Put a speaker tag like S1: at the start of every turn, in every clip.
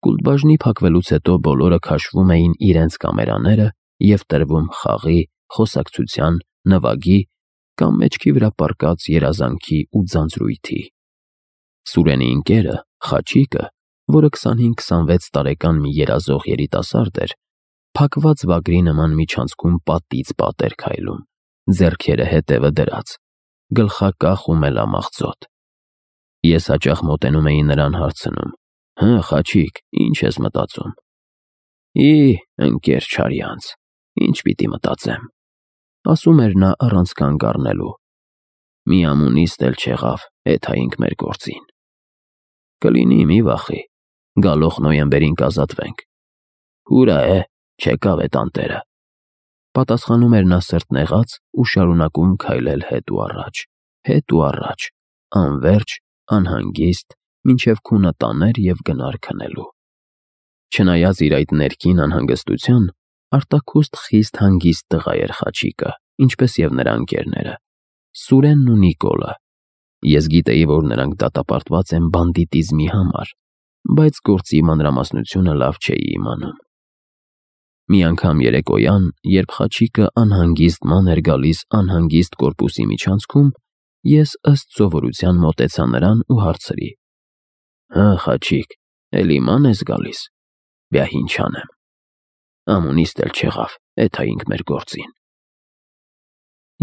S1: Կուլտբաժնի փակվելուց հետո բոլորը քաշվում էին իրենց կամերաները և տրվում խաղի, խոսակցության, նվագի կամ մեջքի վրա պառկած երազանքի ու ձանձրույթի։ Սուրենի ընկերը, Խաչիկը, որը 25-26 տարեկան մի երազող երիտասարդ էր, փակված վագրի նման միջանցքում պատից պատ էր քայլում, ձեռքերը հետևը դրած, գլխակախ ու մելամաղձոտ։ Ես հաճախ մոտենում էի նրան հարցնում. «Հը, Խաչիկ, ինչ ես մտածում»։ Ընկեր չարյանց, ինչ պիտի մտածեմ, ասում էր նա առանց կանգ առնելու։ Մի ամունիստ էլ չեղավ, էթայինք մեր գործին։ Կլինի, մի վախի, գալող նոյեմբերին կազատվենք։ Հուրա է, չեկավ է տանտերը, պատասխանում էր նա սրտնեղած ու շարունակում քայլել հետ ու առաջ, անվերջ, անհանգիստ, մինչև քունը տաներ և գնար քնելու։ Չնայած իր այդ ներքին անհանգստության, արտաքուստ խիստ հանգիստ տղա էր Խաչիկը, ինչպես և նրա ընկերները՝ Սուրենն ու Նիկոլը։ Ես գիտեի, որ նրանք դատապարտված են բանդիտիզմի համար, բայց գործի մանրամասնությունը լավ չէի իմանում։ Մի անգամ երեկոյան, երբ Խաչիկը անհանգիստ ման էր գալիս անհանգիստ կորպուսի միջանցքում, ես ըստ սովորության մոտեցա նրան ու հարցրի. «Հը, Խաչիկ, էլի ման ես գալիս, բյա ինչ անեմ, ամունիստ էլ չեղավ, էթայինք մեր գործին»։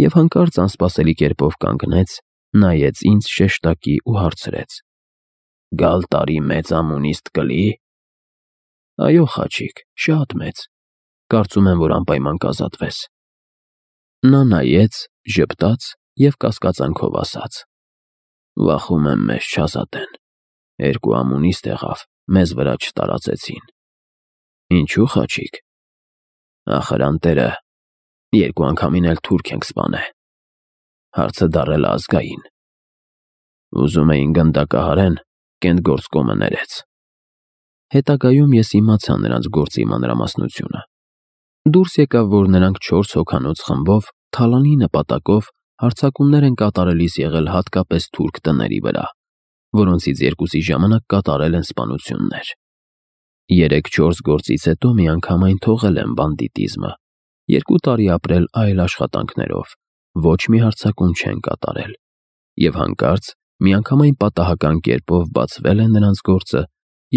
S1: Եվ հանկարծ անսպասելի կերպով կանգնեց, նայեց ինձ շեշտակի ու հարցրեց. «Գալ տարի մեծ ամունիստ կլի՞»։ «Այո, Խաչիկ, շատ մեծ, կարծում եմ, որ անպայման կազատվես»։ Նա նայեց, ժպտաց և կասկածանքով ասաց. «Վախում եմ մեզ չազատեն, երկու ամունիստ եղավ, մեզ վրա չտարածեցին»։ «Ինչու, Խաչիկ»։ «Ախր անտերը երկու անգամին էլ թուրք ենք սպանել, հարցը դառել է ազգային։ Ուզում էին գնդակահարեն, Կենտգործկոմը ներեց»։ Հետագայում ես իմացա նրանց գործի մանրամասնությունը։ Դուրս եկավ, որ նրանք 4 հոգանոց խմբով թալանի նպատակով հարձակումներ են կատարելիս եղել հատկապես թուրք տների վրա, որոնցից 2-ի ժամանակ կատարել են սպանություններ։ 3-4 գործից հետո միանգամայն թողել են բանդիտիզմը, 2 տարի ապրել այլ աշխատանքներով, ոչ մի հարձակում չեն կատարել, և հանկարծ միանգամայն պատահական կերպով բացվել է նրանց գործը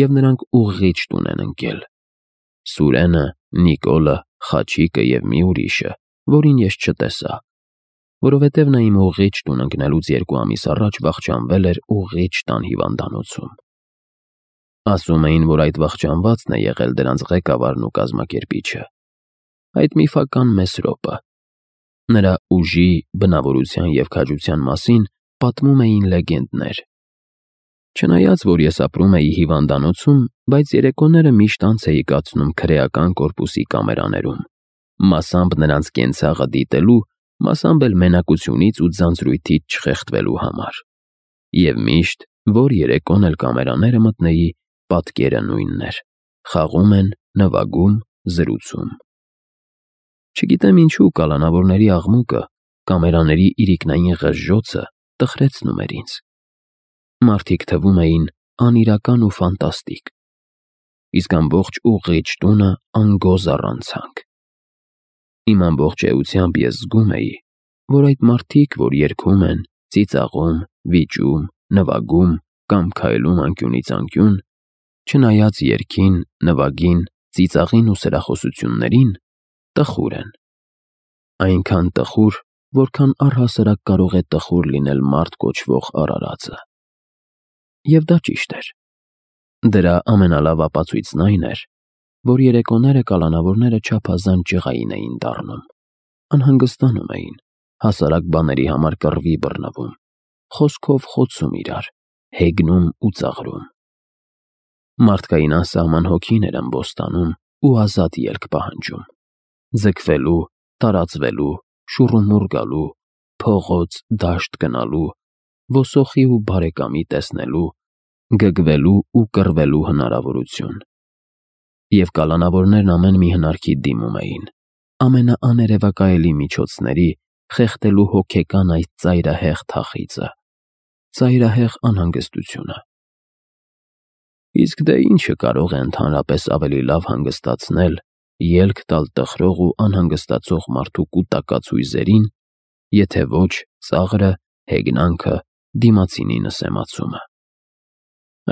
S1: և նրանք ուղիղ տուն են ընկել։ Սուրենը, Նիկոլը, Խաչիկը և մի ուրիշը, որին ես չտեսա, որովհետև նա իմ ուղիղ տուն ընկնելուց 2 ամիս առաջ վախճանվել էր ուղիղ տան հիվանդանոցում։ Ասում էին, որ այդ վախճանվածն է եղել դրանց ղեկավարն ու կազմակերպիչը, այդ միֆական Մեսրոպը։ Նրա ուժի, բնավորության և քաջության մասին պատմում էին լեգենդներ։ Չնայած, որ ես ապրում էի հիվանդանոցում, բայց երեկոները միշտ անց էի կացնում քրեական կորպուսի կամերաներում, մասամբ նրանց կենցաղը դիտելու, մասամբ էլ մենակությունից ու ձանձրույթից չխեղդվելու համար։ Եվ միշտ, որ երեկոն էլ կամերաները մտնեի, պատկերը նույնն էր՝ խաղում են, նվագում, զրուցում։ Չգիտեմ ինչու կալանավորների աղմուկը, կամերաների իրիկնային ղժժոցը տխրեցնում էր ինձ։ Մարդիկ թվում էին անիրական ու ֆանտաստիկ, իսկ ամբողջ ուղիղ տունը անգոզ առանց ցանք։ Իմ ամբողջ էությամբ ես զգում էի, որ այդ մարդիկ, որ երգում են, ծիծաղում, վիճում, նվագում կամ քայլում անկյունից անկյուն, չնայած երգին, նվագին, ծիծաղին ու սրախոսություններին, տխուր են։ Այնքան տխուր, որքան առհասարակ կարող է տխուր լինել մարդ կոչվող արարածը։ Եվ դա ճիշտ էր։ Դրա ամենալավ ապացույցն այն էր, որ երեկոները կալանավորները չափազանց ջղային էին դառնում, անհանգստանում էին, հասարակ բաների համար կռվի բռնվում, խոսքով խոցում իրար, հեգնում ու ծաղրում։ Մարդկային անսահման հոգին էր ըմբոստանում ու ազատ ելք պահանջում, ձգվելու, տարածվելու, շուռումուռ գալու, փողոց, դաշտ գնալու, ոսոխի ու բարեկամի տեսնելու, գգվելու ու կռվելու հնարավորություն։ Եվ կալանավորներն ամեն մի հնարքի դիմում էին, ամենաաներևակայելի միջոցների, խեղդելու հոգեկան այդ ծայրահեղ թախիծը, ծայրահեղ անհանգստությունը։ Իսկ դե ինչը կարող է ընդհանրապես ավելի լավ հանգստացնել, ելք տալ տխրող ու անհանգստացող մարդու կուտակած հույզերին, եթե ոչ ծաղրը, հեգնանքը, դիմացինի նսեմացումը։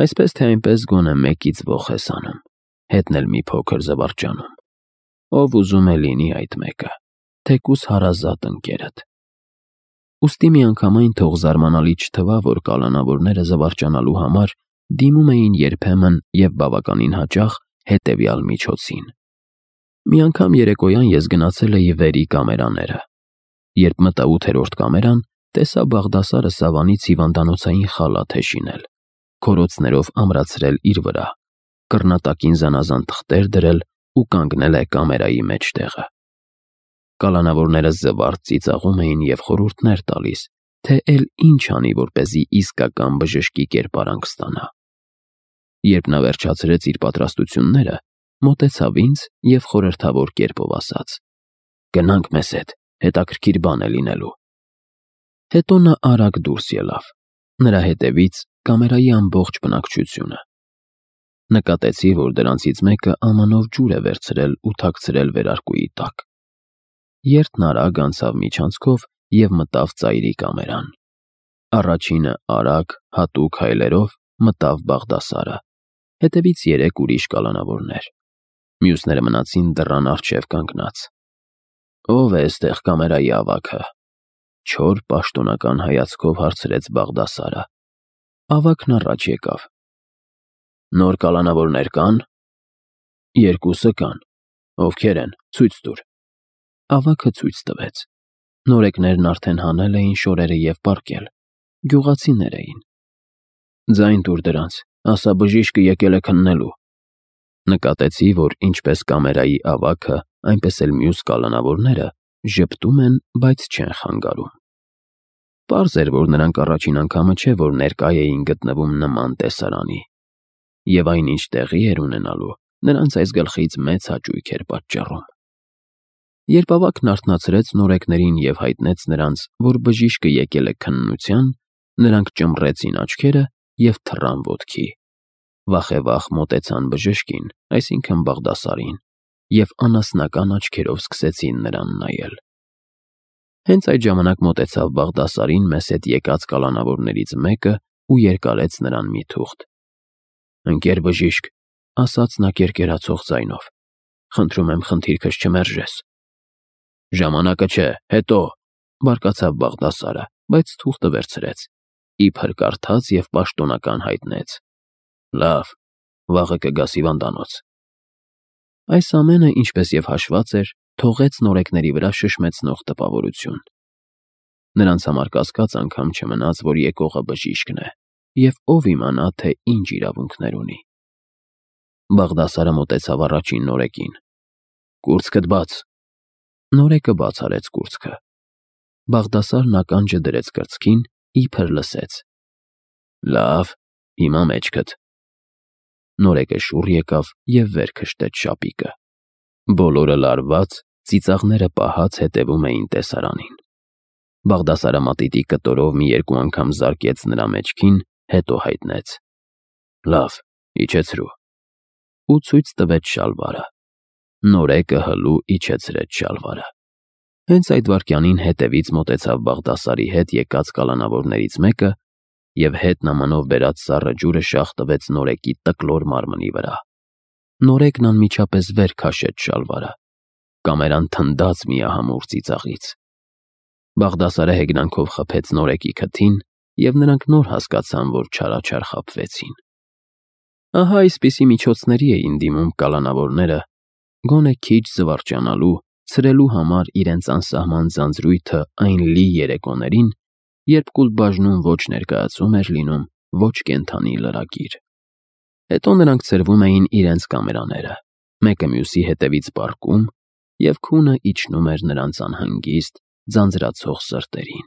S1: Այսպես թե այնպես գոնե մեկից ոխ ես անում, հետն էլ մի փոքր զվարճանում։ Ով ուզում է լինի այդ մեկը, թեկուզ հարազատ ընկերդ։ Ուստի միանգամայն թող զարմանալի չթվա, որ կալանավորները զվարճանալու համար դիմում էին երբեմն և բավականին հաճախ հետևյալ միջոցին։ Մի անգամ երեկոյան ես գնացել էի վերի կամերաները։ Երբ մտա 8-րդ կամերան, տեսա Բաղդասարը սավանից հիվանդանոցային խալաթ է շինել, քորոցներով ամրացրել իր վրա, կռնատակին զանազան թղթեր դրել ու կանգնել է կամերայի մեջտեղը։ Կալանավորները զվարթ ծիծաղում էին և խորհուրդներ տալիս, թե էլ ինչ անի, որպեսզի իսկական բժշկի կերպարանք ստանա։ Երբ նա վերջացրեց իր պատրաստությունները, մոտեցավ ինձ և խորհրդավոր կերպով ասաց. «Գնանք մեզ հետ, հետաքրքիր բան է լինելու»։ Հետո նա արագ դուրս ելավ, նրա հետևից կամերայի ամբողջ բնակչությունը։ Նկատեցի, որ դրանցից մեկը ամանով ջուր է վերցրել ու թաքցրել վերարկուի տակ։ Երթն արագ անցավ միջանցքով և մտավ ծայրի կամերան։ Առաջինը արագ, հատուկ հայլերով մտավ Բաղդասարը, հետևից 3 ուրիշ կալանավորներ։ Մյուսները մնացին դռան առջև կանգնած։ «Ո՞վ է էստեղ կամերայի ավագը»։ Չոր պաշտոնական հայացքով հարցրեց Բաղդասարը։ Ավագն առաջ եկավ։ «Նոր կալանավորներ կան»։ «2 կան»։ «Ովքեր են, ցույց տուր»։ Ավագը ցույց տվեց։ Նորեկներն արդեն հանել էին շորերը և պառկել։ Գյուղացիներ էին։ «Ձայն տուր դրանց, ասա բժիշկը եկել է քննելու»։ Նկատեցի, որ ինչպես կամերայի ավագը, այնպես էլ մյուս կալանավորները ժպտում են, բայց չեն խանգարում։ Պարզ էր, որ նրանք առաջին անգամը չէ, որ ներկա էին գտնվում նման տեսարանի, և այնինչ տեղի էր ունենալու, նրանց այս գլխից մեծ հաճույք էր պատճառում։ Երբ ավագն արթնացրեց նորեկներին և հայտնեց նրանց, որ բժիշկը եկել է քննության, նրանք ճմռեցին աչքերը և թռան ոտքի։ Վախևախ մոտեցան բժշկին, այսինքն Բաղդասարին, և անասնական աչքերով սկսեցին նրան նայել։ Հենց այդ ժամանակ մոտեցավ Բաղդասարին մեզ հետ եկած կալանավորներից մեկը ու երկարեց նրան մի թուղթ։ «Ընկեր բժիշկ», ասաց նա կերկերացող ձայնով, «խնդրում եմ խնդիրքս չմերժես»։ «Ժամանակը չէ, հետո», բարկացավ Բաղդասարը, բայց թուղթը վերցրեց, իբր կարդաց և պաշտոնական հայտնեց. «Լավ, վաղը կգաս հիվանդանոց»։ Այս ամենը, ինչպես և հաշված էր, թողեց նորեկների վրա շշմեցնող տպավորություն։ Նրանց համար կասկած անգամ չմնաց, որ եկողը բժիշկն է, և ով իմանա, թե ինչ իրավունքներ ունի։ Բաղդասարը մոտեցավ առաջին նորեկին։ «Կուրծքդ բաց»։ Նորեկը բաց արեց կուրծքը։ Բաղդասարն ականջը դրեց կրծքին, իբր լսեց։ «Լավ, հիմա մեջքդ»։ Նորեկը շուռ եկավ և վեր քշտեց շապիկը։ Բոլորը լարված, ծիծաղները պահած հետևում էին տեսարանին։ Բաղդասարը մատիտի կտորով մի 2 անգամ զարկեց նրա մեջքին, հետո հայտնեց. «Լավ, իջեցրու»։ Ու ցույց տվեց շալվարը։ Նորեկը հլու իջեցրեց շալվարը։ Հենց այդ վայրկյանին հետևից մոտեցավ Բաղդասարի հետ եկած կալանավորներից մեկը և հետ նամանով բերած սառը ջուրը շաղ տվեց նորեկի տկլոր մարմնի վրա։ Նորեկն անմիջապես վեր քաշեց շալվարը։ Կամերան թնդաց միահամուռ ծիծաղից։ Բաղդասարը հեգնանքով խփեց նորեկի քթին, և նրանք նոր հասկացան, որ չարաչար խաբվեցին։ Ահա այսպիսի միջոցների էին դիմում կալանավորները, գոնե քիչ զվարճանալու, ցրելու համար իրենց անսահման ձանձրույթը այն լի երեկոներին, երբ Կուլբաժնում ոչ ներկայացում էր լինում, ոչ կենդանի լրագիր։ Հետո նրանք ցրվում էին իրենց կամերաները, մեկը մյուսի հետևից պառկում, և քունը իջնում էր նրանց անհանգիստ, ձանձրացող սրտերին։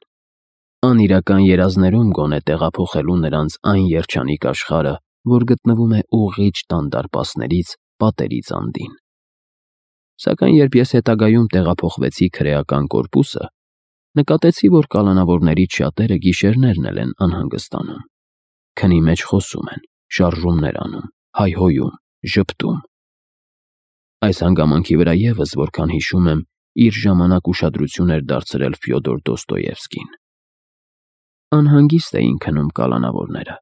S1: Անիրական երազներում գոնե տեղափոխելու նրանց այն երջանիկ աշխարհը, որ գտնվում է ուղիղ տան դարպասներից պատերից անդին։ Սակայն երբ ես հետագայում տեղափոխվեցի քրեական կորպուսը, նկատեցի, որ կալանավորներից շատերը գիշերներն էլ են անհանգստանում։ Քնի մեջ խոսում են, շարժումներ անում, հայհոյում, ժպտում։ Այս հանգամանքի վրա ևս, որքան հիշում եմ, իր ժամանակ ուշադրություն էր դարձրել Ֆյոդոր Դոստոևսկին։ Անհանգիստ էին քնում կալանավորները,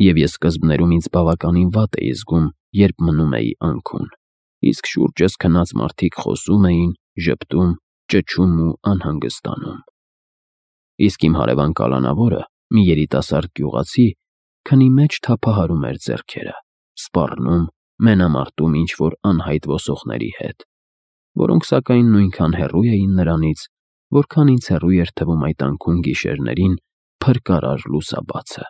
S1: և ես սկզբներում ինձ բավականին վատ էի զգում, երբ մնում էի անքուն, իսկ շուրջս քնած մարդիկ խոսում էին, ժպտում, ճչում ու անհանգստանում։ Իսկ իմ հարևան կալանավորը, մի երիտասարդ գյուղացի, քնի մեջ թափահարում էր ձեռքերը, սպառնում, մենամարտում ինչ-որ անհայտ ոսողների հետ, որոնք, սակայն, նույնքան հեռու էին նրանից, որքան ինձ հեռու էր թվում այդ անքուն գիշերներին փրկարար լուսաբացը։